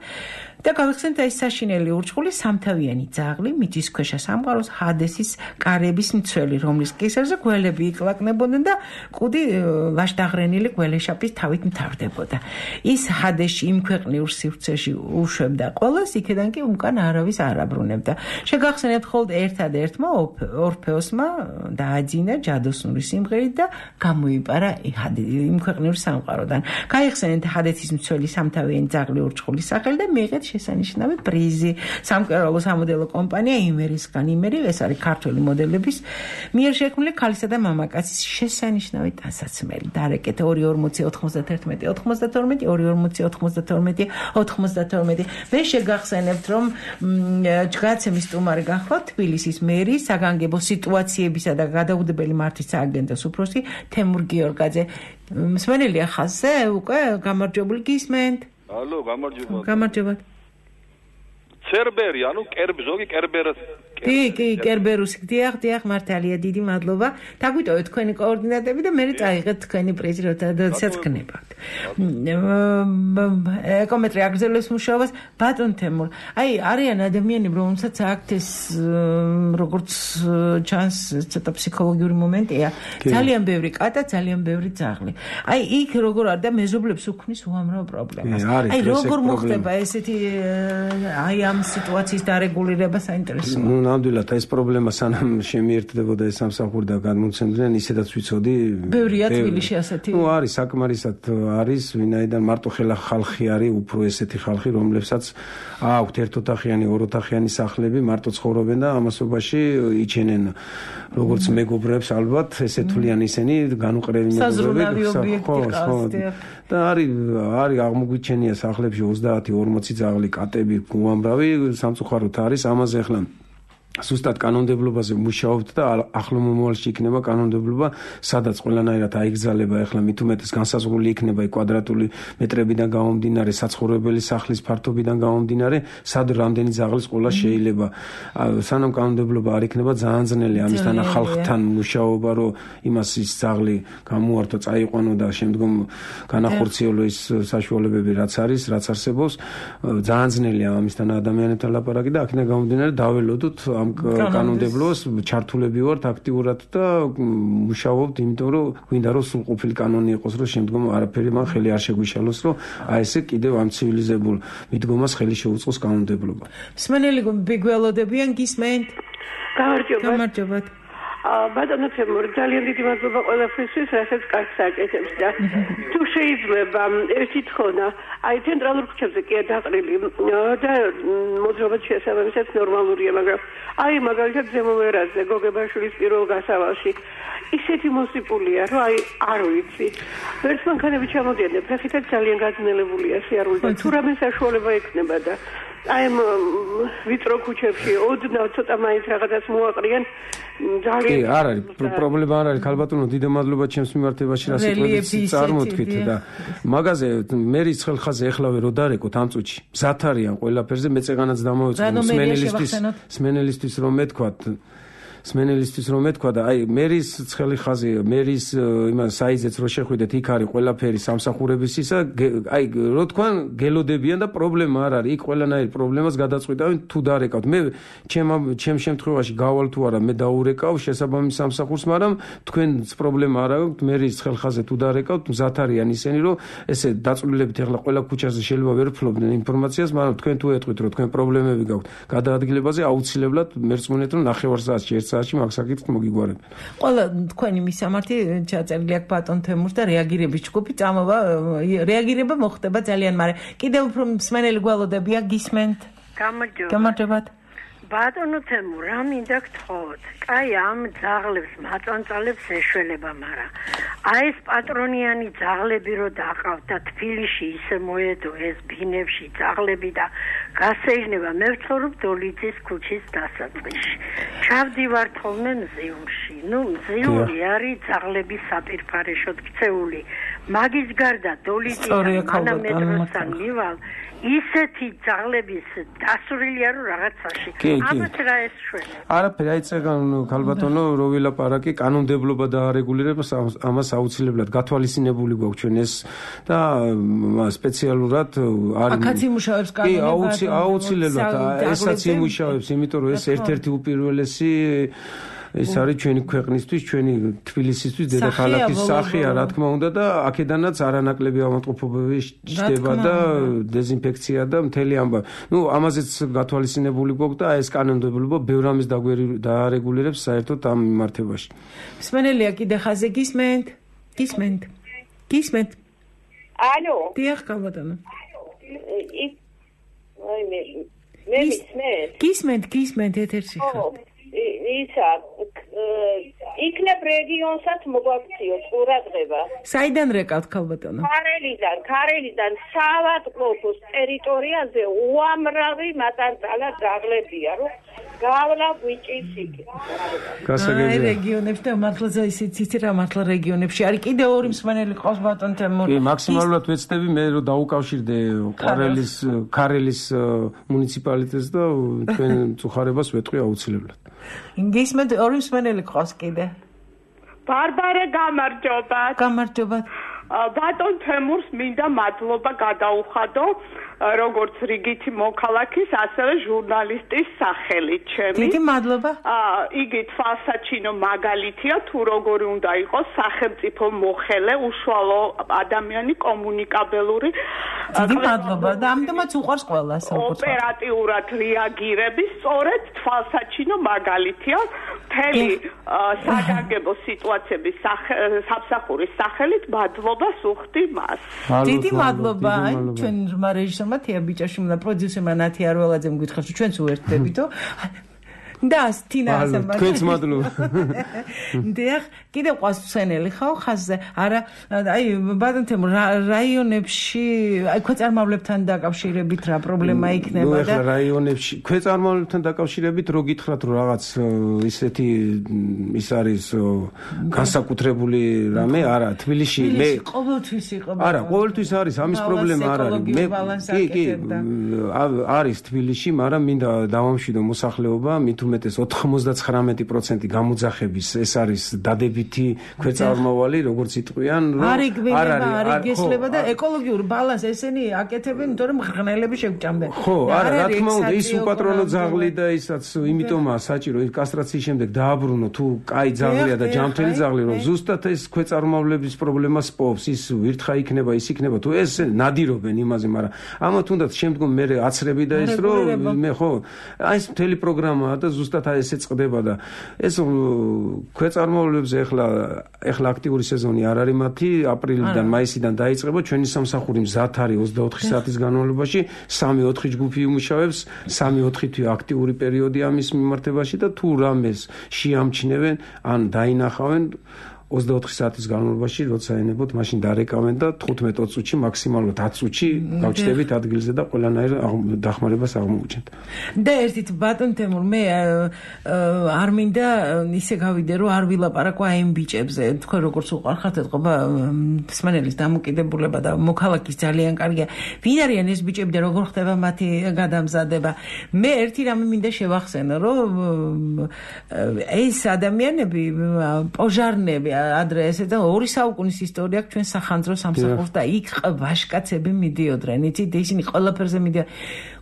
და გავიხსენეთ ეს საშინელი ურჩხული სამთავიანი ძაღლი მიწის ქვეშა სამყაროს ჰადესის კარების მცველი რომლის კისერზე გველები იკლაკნებოდნენ და კუდი ვაშდაღრენილი გველეშაპის თავით მთავრდებოდა ის ჰადესში იმ ქვეყნიურ სივრცეში უშვებდა ყველას იქედან კი უკან არავის არ აბრუნებდა შეგახსენებთ ხოლმე ერთადერთმა ორფეოსმა დააძინა ჯადოსნური სიმღერით და გამოიპარა იმ ქვეყნიურ სამყაროდან გაიხსენეთ ჰადესის მცველი სამთავიანი ძაღლი ურჩხულის სახელი და მიიღეთ შესანიშნავი პრიზი სამკერვალო სამოდელო კომპანია იმერისგან იმერი ეს არის ქართული მოდელების მიერ შექმნილი ქალისა და მამაკაცის შესანიშნავი ტანსაცმელი დარეკეთ ორი ორმოცი ოთხმოცდათერთმეტი ოცდათორმეტი ორი ორმოცი ოთხმოცდათორმეტი ოცდათორმეტი მე შეგახსენებთ რომ ჯგაცემის სტუმარი გახლავთ თბილისის მერი საგანგებო სიტუაციებისა და გადაუდებელი მართვის სააგენტოს უფროსი თემურ გიორგაძე მსმენელია ხაზზე უკვე გამარჯვებული გისმენთ ალო გამარჯობა გამარჯობა ცერბერი ანუ კერბ ზოგი კერბერას კი კი კერბერუსი დიახ დიახ მართალია დიდი მადლობა დაგვიტოვეთ თქვენი კოორდინატები და მე წაიღეთ თქვენი პრიზი როდესაც გნებავთ ეკომეტრი აგრძელებს მუშაობას ბატონ თემურ აი არიან ადამიანები რომელსაც აქვთ ეს როგორც ჩანს ცოტა ფსიქოლოგიური მომენტია ძალიან ბევრი კატა ძალიან ბევრი ძაღლი აი იქ როგორ არის და მეზობლებს უქმნის უამრავ პრობლემას აი როგორ მოხდება ესეთი აი ამ სიტუაციის დარეგულირება საინტერესოა ნუ ნამდვილად ეს პრობლემა სანამ შემიერთდებოდა ეს სამსახური და გადმოცემდნენ ისედაც ვიცოდი ბევრია თბილისში ასეთი ნუ არის საკმარისად არის ვინაიდან მარტო ხელა ხალხი არის უფრო ესეთი ხალხი რომლებსაც აქვთ ერთოთახიანი ოროთახიანი სახლები მარტო ცხოვრობენ და ამასობაში იჩენენ როგორც მეგობრებს ალბათ ესე თვლიან ისინი განუყრევი მეგობრები ხო ხო და არის არის აღმოგვიჩენია სახლებში ოცდაათი ორმოცი ძაღლი კატები უამრავი სამწუხაროდ არის ამაზე ახლა ზუსტად კანონმდებლობაზე მუშაობთ და ახლო მომავალში იქნება კანონმდებლობა, სადაც ყველანაირად აიგზავნება ახლა მით უმეტეს განსაზღვრული იქნება კვადრატული მეტრებიდან გამომდინარე, საცხოვრებელი სახლის ფართობიდან გამომდინარე, სად რამდენი ძაღლის ყოლა შეიძლება. სანამ კანონმდებლობა არ იქნება ძალიან ძნელი ამისთან ხალხთან მუშაობა, რომ იმას ის ძაღლი გამოართო, წაიყვანო და შემდგომ განახორციელო ის საშუალებები, რაც არის, რაც არსებობს, ძალიან ძნელია ამისთან ადამიანებთან ლაპარაკი და აქედან გამომდინარე დაველოდოთ ამ კანონმდებლობას ჩართულები ვართ აქტიურად და მუშაობთ, იმიტომ რომ გვინდა რომ სრულყოფილი კანონი იყოს, რომ შემდგომ არაფერი მან ხელი არ შეგვიშალოს, რომ აი ესე კიდევ ამ ცივილიზებულ მიდგომას ხელი შეუწყოს კანონმდებლობა. მსმენელი ბიგველოდებიან გისმენთ? გამარჯობა. გამარჯობა. ბატონო თემურ, ძალიან დიდი მადლობა ყველაფრისთვის, რასაც კარგს აკეთებს და თუ შეიძლება ერთი თხოვნა, აი ცენტრალურ ქუჩებზე კი დაყრილი და მოძრაობა შესაბამისად ნორმალურია, მაგრამ აი მაგალითად ზემო ვერაზე, გოგებაშვილის პირველ გასავალში ისეთი მოსიპულია, რომ აი არ ვიცი. ვერც მანქანები ჩამოდიან, ფეხითაც ძალიან გაძნელებულია სიარული და თუ რამე საშუალება ექნება და აი ვიწრო ქუჩებში ოდნავ ცოტა მაინც რაღაცას მოაყრიან ძალიან კი არ არის პრობლემა არ არის ქალბატონო დიდი მადლობა ჩემს მიმართებაში რა სიტყვებით წარმოთქვით და მაგაზე მერის ხელხაზე ეხლავე რო დარეკოთ ამ წუთში მზად არიან ყველაფერზე მეწეღანაც დამოვეწყო სმენელისტვის სმენელისტვის რომ მეთქვათ სმენელისტვის რომ მეთქვა და აი მერის ცხელი ხაზი მერის იმან საიზეც რო შეხვიდეთ იქ არის ყველაფერი სამსახურების ისა აი რო თქვა გელოდებიან და პრობლემა არ არის იქ ყველანაირ პრობლემას გადაწყვიტავენ თუ დარეკავთ მე ჩემ ჩემ შემთხვევაში გავალ თუ არა მე დაურეკავ შესაბამის სამსახურს მაგრამ თქვენს პრობლემა არ აქვს მერის ცხელ ხაზზე თუ დარეკავთ მზად არიან ისინი რომ ესე დაწვრილებით ახლა ყველა ქუჩაზე შეიძლება ვერ ფლობდნენ ინფორმაციას მაგრამ თქვენ თუ ეტყვით რომ თქვენ პრობლემები გაქვთ გადაადგილებაზე აუცილებლად მერწმუნეთ რომ ნახევარ საათში ერთ საათში მაგ საკითხს მოგიგვარებ. ყველა თქვენი მისამართი ჩაწერილი აქვს ბატონ თემურს და რეაგირების ჯგუფი წამოვა რეაგირება მოხდება ძალიან მაგრამ კიდევ უფრო მსმენელი გვალოდებია გისმენთ. გამარჯობა. გამარჯობათ. ბატონო თემურ, რა მინდა გთხოვოთ? კაი ამ ძაღლებს მაწანწალებს ეშველება, მაგრამ აი ეს პატრონიანი ძაღლები რო დაყავთ და თბილისში ისე მოედო ეს ბინებში ძაღლები და გასეიჟნება მე ვცხოვრობ დოლიძის ქუჩის დასაწყისში. ჩავდივარ თოლმე მზიუმში. ნუ მზიუმი არის ძაღლების საპირფარეშოდ ქცეული. მაგის გარდა დოლიძის მანამეტროსთან მივალ ისეთი ძაღლების დასურილია რომ რაღაცაში ამათ რა ეს შველი არაფერი აი წეგან ქალბატონო რო ვილაპარაკი კანონმდებლობა დაარეგულირებს ამას აუცილებლად გათვალისწინებული გვაქვს ჩვენ ეს და სპეციალურად არის აქაც იმუშავებს კანონმდებლობა კი აუცილებლად ესაც იმუშავებს იმიტომ რომ ეს ერთ-ერთი უპირველესი ეს არის ჩვენი ქვეყნისთვის, ჩვენი თბილისისთვის, დედაქალაქის სახეა, რა თქმა უნდა და აქედანაც არანაკლები ავადმყოფობები ჩდება და დეზინფექცია და მთელი ამბავი. ნუ ამაზეც გათვალისწინებული გვაქვს და ეს კანონმდებლობა ბევრ ამის დაარეგულირებს საერთოდ ამ მიმართებაში. მსმენელია კიდე ხაზე გისმენთ? გისმენთ? გისმენთ? ალო. დიახ, კალბატონო. აი მე მე მისმენთ? გისმენთ, გისმენთ ეთერში ხარ. ისა იქნებ რეგიონსაც მოგვაქციოთ ყურადღება. საიდან რეკავთ ქალბატონო? ქარელიდან, ქარელიდან საავადმყოფოს ტერიტორიაზე უამრავი მაწანწალა ძაღლებია, რომ გავლა გვიჭირს იქ. აი რეგიონებში და მართლა ისიც იცი რა მართლა რეგიონებში არის კიდე ორი მსმენელი ყავს ბატონ თემურ. კი, მაქსიმალურად ვეცდები მე რომ დაუკავშირდე ქარელის ქარელის მუნიციპალიტეტს და თქვენ წუხარებას ვეტყვი აუცილებლად. გისმენთ ორი მსმენელი ყავს კიდე. ბარბარე გამარჯობათ. გამარჯობათ. ბატონ თემურს მინდა მადლობა გადაუხადო როგორც რიგითი მოქალაქის, ასევე ჟურნალისტის სახელით ჩემი. დიდი მადლობა. აა, იგი თვალსაჩინო მაგალითია თუ როგორი უნდა იყოს სახელმწიფო მოხელე, უშუალო ადამიანი, კომუნიკაბელური. დიდი მადლობა და ამდენად უყვარს ყველას. ოპერატიულად რეაგირების, სწორედ თვალსაჩინო მაგალითია. მთელი საგანგებო სიტუაციების სამსახურის სახელით მადლობა სუხდი მას. დიდი მადლობა ჩვენ რმა რეჟისორმა თია ბიჭაშვილმა პროდიუსერმა ნათი არველაძემ გითხრათ რომ ჩვენც უერთდებითო და თინა ასამბა თქვენც მადლობა. დიახ, კიდე ყავს მსმენელი ხო ხაზზე? არა, აი ბატონ თემურ რაიონებში, აი ქვეწარმავლებთან დაკავშირებით რა პრობლემა იქნება და რაიონებში ქვეწარმავლებთან დაკავშირებით რო გითხრათ რომ რაღაც ისეთი ის არის განსაკუთრებული რამე, არა, თბილისში მე ყოველთვის იყო. არა, ყოველთვის არის ამის პრობლემა არ არის. მე კი, კი, არის თბილისში, მაგრამ მინდა დავამშვიდო მოსახლეობა, მით უმეტეს ოთხმოცდაცხრამეტი პროცენტი გამოძახების ეს არის დადებითი ქვეწარმავალი, როგორც იტყვიან, რომ არ არის არ გესლება და ეკოლოგიური ბალანს ესენი აკეთებენ, იმიტომ რომ მღრღნელები შეგვჭამდნენ. ხო, არა, რა თქმა უნდა, ის უპატრონო ძაღლი და ისაც იმიტომაა საჭირო ის კასტრაციის შემდეგ დააბრუნო თუ კაი ძაღლია და ჯანმრთელი ძაღლი, რომ ზუსტად ეს ქვეწარმავლების პრობლემას პოვს, ის ვირთხა იქნება, ის იქნება, თუ ეს ნადირობენ იმაზე, მაგრამ ამა თუნდაც შემდგომ მე აცრები და ის რომ მე ხო, აი ეს მთელი პროგრამაა და ზუსტად ესე წყდება და ეს ქვეწარმავლებზე ეხლა ეხლა აქტიური სეზონი არ არის მათი, აპრილიდან, მაისიდან დაიწყება, ჩვენი სამსახური მზად არის ოცდაოთხი საათის განმავლობაში, სამი-ოთხი ჯგუფი იმუშავებს, სამი-ოთხი თვე აქტიური პერიოდია ამის მიმართებაში და თუ რამეს შეამჩნევენ, ან დაინახავენ ოცდაოთხი საათის განმავლობაში, როცა ენებოთ, მაშინ დარეკავენ და თხუთმეტ წუთში, მაქსიმალურად ათ წუთში გავჩნდებით ადგილზე და ყველანაირ დახმარებას აღმოუჩენთ. და ერთით ბატონ თემურ, მე არ მინდა ისე გავიდე, რომ არ ვილაპარაკო აი იმ ბიჭებზე. თქვენ როგორც უყარხართ, ეთყობა მსმენელის დამოკიდებულება და მოქალაქის ძალიან კარგია. ვინ არიან ეს ბიჭები და როგორ ხდება მათი გადამზადება? მე ერთი რამე მინდა შევახსენო, რომ ეს ადამიანები, პოჟარნები ადრე ესე და ორი საუკუნის ისტორია აქვს ჩვენ სახანძრო სამსახურს და იქ ვაშკაცები მიდიოდნენ, იცით, ისინი ყველაფერზე მიდიოდნენ.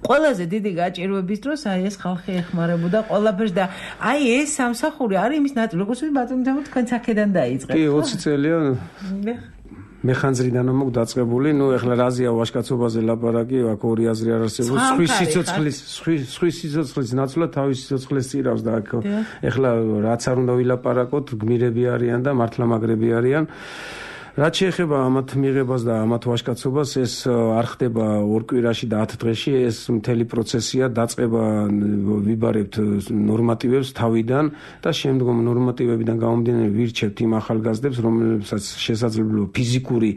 ყველაზე დიდი გაჭირვების დროს აი ეს ხალხი ეხმარებოდა ყველაფერს და აი ეს სამსახური არის იმის ნაწილი, როგორც ბატონო თემო თქვენ აქედან დაიწყეთ. კი, ოცი წელია. მეხანძრიდან მოგ დაწყებული, ნუ ეხლა რაზია ვაშკაცობაზე ლაპარაკი, აქ ორი აზრი არ არსებობს. სხვის სიცოცხლის, სხვის სიცოცხლის ნაცვლად თავის სიცოცხლეს წირავს და აქ ეხლა რაც არ უნდა ვილაპარაკოთ, გმირები არიან და მართლა მაგრები არიან. რაც შეეხება ამათ მიღებას და ამათ ვაშკაცობას, ეს არ ხდება ორ კვირაში და ათ დღეში, ეს მთელი პროცესია, დაწყება ვიბარებთ ნორმატივებს თავიდან და შემდგომ ნორმატივებიდან გამომდინარე ვირჩევთ იმ ახალგაზრდებს, რომლებსაც შესაძლებლობა ფიზიკური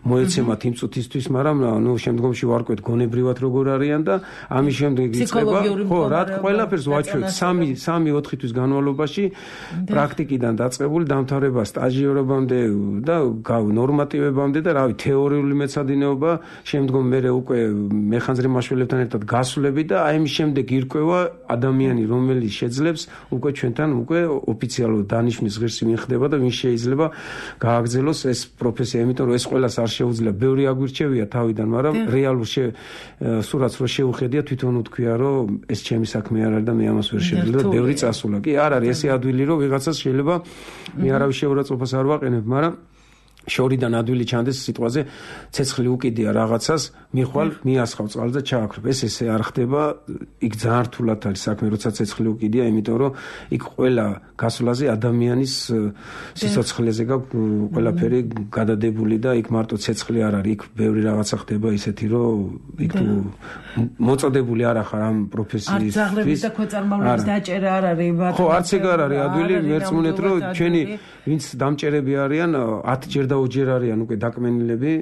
მოეცემათ იმ წუთისთვის, მაგრამ ნუ შემდგომში ვარკვეთ გონებრივად როგორ არიან და ამის შემდეგ იწყება, ხო, რა ყველაფერს ვაჩვენებთ სამი-ოთხი თვის განმავლობაში პრაქტიკიდან დაწყებული დამთავრება სტაჟიორობამდე და ნორმატივებამდე და რავი თეორიული მეცადინეობა, შემდგომ მე უკვე მეხანძრი მაშველებთან ერთად გასვლები და აი მის შემდეგ ირკვევა ადამიანი, რომელიც შეძლებს უკვე ჩვენთან უკვე ოფიციალურად დანიშვნის ღირსი მიხდება და ვინ შეიძლება გააგრძელოს ეს პროფესია, იმიტომ რომ ეს ყველას არ შეუძლია, ბევრი აგვირჩევია თავიდან, მაგრამ რეალურ სურათს რო შეუხედია, თვითონ უთქვია, რომ ეს ჩემი საქმე არ არის და მე ამას ვერ შეძლებ და ბევრი წასულა. კი, არ არის ესე ადვილი, რომ ვიღაცას შეიძლება მე არავის შეურაცხყოფას არ ვაყენებ, მაგრამ შორიდან ადვილი ჩანდეს სიტყვაზე ცეცხლი უკიდია რაღაცას, მიხვალ, მიასხავ წყალს და ჩააქრობ. ეს ესე არ ხდება, იქ ძალიან რთულად არის საქმე, როცა ცეცხლი უკიდია, იმიტომ რომ იქ ყველა გასვლაზე ადამიანის სიცოცხლეზე გაქვს ყველაფერი გადადებული და იქ მარტო ცეცხლი არ არის, იქ ბევრი რაღაცა ხდება ისეთი, რომ იქ თუ მოწოდებული არ ახარ ამ პროფესიის. არ ძაღლების და ქვეწარმავლების დაჭერა არ არის, ბატონო. ხო, არც ეგ არ არის ადვილი, მერწმუნეთ, რომ ჩვენი ვინც დამჭერები არიან, ათ ჯერ და ოჯერ არიან უკვე დაკმენილები.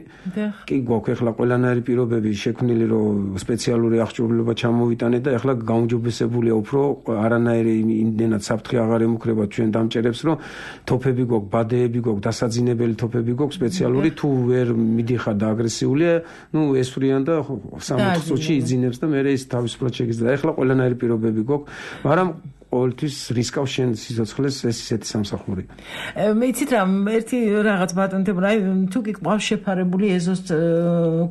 კი გვაქვს ეხლა ყველანაირი პირობები შექმნილი, რომ სპეციალური აღჭურვილობა ჩამოვიტანეთ და ეხლა გაუმჯობესებულია უფრო არანაირი იმდენად საფრთხე აღარ ემუქრება ჩვენ დამჭერებს, რომ თოფები გვაქვს, ბადეები გვაქვს, დასაძინებელი თოფები გვაქვს სპეციალური, თუ ვერ მიდიხარ და აგრესიულია, ნუ ესვრიან და სამოთხ წუთში იძინებს და მე ის თავისუფლად შეგიძლია. ეხლა ყველანაირი პირობები გვაქვს, მაგრამ ყოველთვის რისკავს შენ სიცოცხლეს ეს ისეთი სამსახური. მე იცით რა, ერთი რაღაც ბატონთებ რა, თუ კი ყავს შეფარებული ეზოს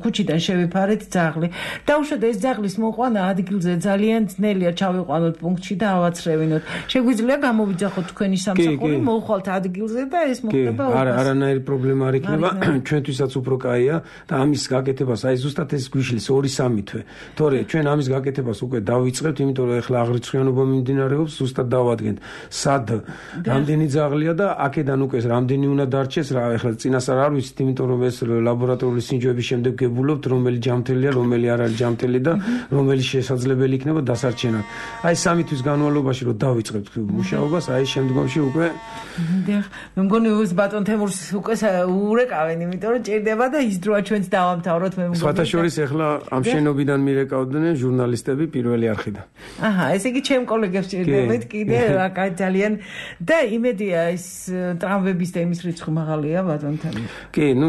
ქუჩიდან შევიფარეთ ძაღლი. დაუშვათ ეს ძაღლის მოყვანა ადგილზე ძალიან ძნელია, ჩავიყვანოთ პუნქტში და ავაცრევინოთ. შეგვიძლია გამოვიძახოთ თქვენი სამსახური, მოვხვალთ ადგილზე და ეს მოხდება. კი, არა, არანაირი პრობლემა არ იქნება, ჩვენთვისაც უფრო კაია და ამის გაკეთებას, აი ზუსტად ეს გვიშლის ორი სამი თვე. თორე ჩვენ ამის გაკეთებას უკვე დავიწყებთ, იმიტომ რომ ეხლა აღრიცხვიანობა მიმდინარეობს, ზუსტად დავადგენთ სად რამდენი ძაღლია და აქედან უკვე რამდენი უნდა დარჩეს რა, ეხლა წინასწარ არ ვიცით, იმიტომ რომ ეს ლაბორატორიული სინჯოების შემდეგ გებულობთ, რომელი ჯამთელია, რომელი არ არის ჯამთელი და რომელი შესაძლებელი იქნება დასარჩენად. აი სამი თვის განმავლობაში რომ დავიწყებთ მუშაობას, აი შემდგომში უკვე მე მგონი უს ბატონ თემურს უკვე ურეკავენ, იმიტომ რომ ჭირდება და ის დროა ჩვენც დავამთავროთ, მე მგონი. სხვათა შორის ეხლა ამ შენობიდან მირეკავდნენ ჟურნალისტები პირველი არხიდან. აჰა, ესე იგი ჩემ კოლეგებს ჭირდებათ კიდე რა ძალიან და იმედია ეს ტრამვების და იმის რიცხვი მაღალია ბატონ თემურ. კი, ნუ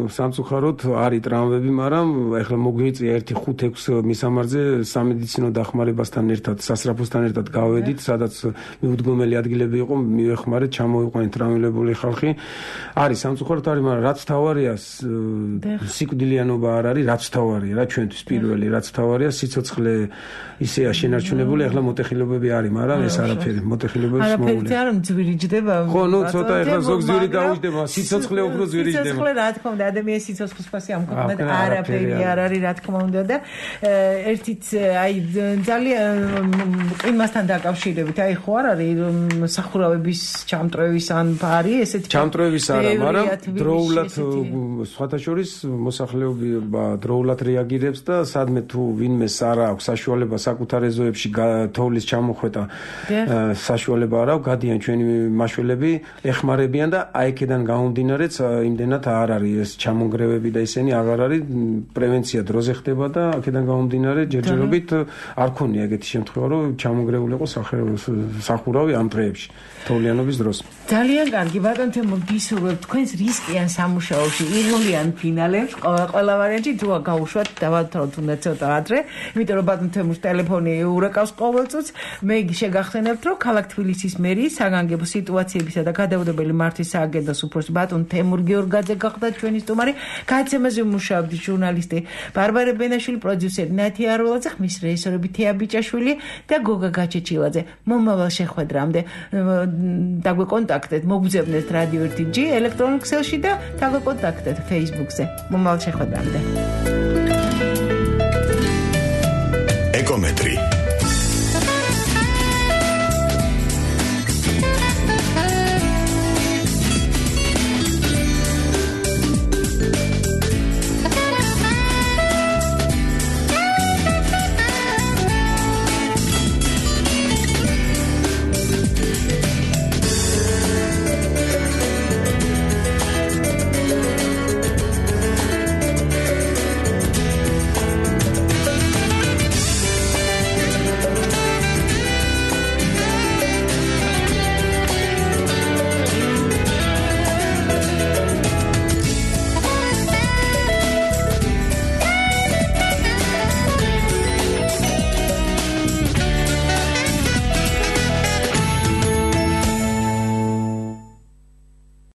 სამწუხაროდ არის ტრამვები, მაგრამ ეხლა მოგვიწია ერთი ხუთ ექვს მისამართზე სამედიცინო დახმარებასთან ერთად, სასწრაფოსთან ერთად გავედით, სადაც მიუდგომელი ადგილები იყო, მივეხმარეთ, ჩამოვიყვანეთ ტრამვირებული ხალხი. არის სამწუხაროდ არის, მაგრამ რაც თავარია სიკვდილიანობა არ არის, რაც თავარია რა ჩვენთვის პირველი, რაც თავარია სიცოცხლე ისეა შენარჩუნებული, ეხლა მოტეხილობები არის, მაგრამ ეს არაფერი მოტეხილებებს მოულე. არაფერი არ მძვირიჯდება. ხო, ნუ ცოტა ეხლა ზოგ ძვირი დაუჯდება, სიცოცხლე უფრო ძვირიჯდება. სიცოცხლე რა თქმა უნდა, ადამიანის სიცოცხლის ფასი ამ ქვეყნად არაფერი არ არის, რა თქმა უნდა და ერთით აი ძალიან იმასთან დაკავშირებით, აი ხო არ არის სახურავების ჩამტრევის ან ბარი, ესეთი ჩამტრევის არა, მაგრამ დროულად სხვათა შორის მოსახლეობა დროულად რეაგირებს და სადმე თუ ვინმეს არ აქვს საშუალება საკუთარ ეზოებში თოვლის ჩამოხვეტა საშუალება არ აქვს, გადიან ჩვენი მაშველები, ეხმარებიან და აი აქედან გამომდინარეც იმდენად არ არის ეს ჩამონგრევები და ისინი აღარ არის პრევენცია დროზე ხდება და აქედან გამომდინარე ჯერჯერობით არ ქონია ეგეთი შემთხვევა რომ ჩამონგრეული იყო სახურავი ამ დღეებში თოვლიანობის დროს. ძალიან კარგი ბატონ თემო გისურვებთ თქვენს რისკიან სამუშაოში ირგვლიან ფინალებს ყველა ვარიანტი თუ გაუშვათ დავათროთ უნდა ცოტა ადრე იმიტომ რომ ბატონ თემოს ტელეფონი ურეკავს ყოველწუთს მე შეგახსენებთ რომ ქალაქ თბილისის მერიის საგანგებო სიტუაციებისა და გადაუდებელი მართვის სააგენტოს უფროსი ბატონ თემურ გიორგაძე გახდა ჩვენი სტუმარი გადაცემაზე მუშაობდი ჟურნალისტი ბარბარე ბენაშვილი პროდიუსერი ნათი არულაძე ხმის რეჟისორები თეა ბიჭაშვილი და გოგა გაჩეჩილაძე მომავალ შეხვედრამდე დაგვეკონტაქტეთ მოგძებნეთ რადიო ერთი ჯი ელექტრონულ ქსელში და დაგვეკონტაქტეთ Facebook-ზე მომავალ შეხვედრამდე ეკომეტრი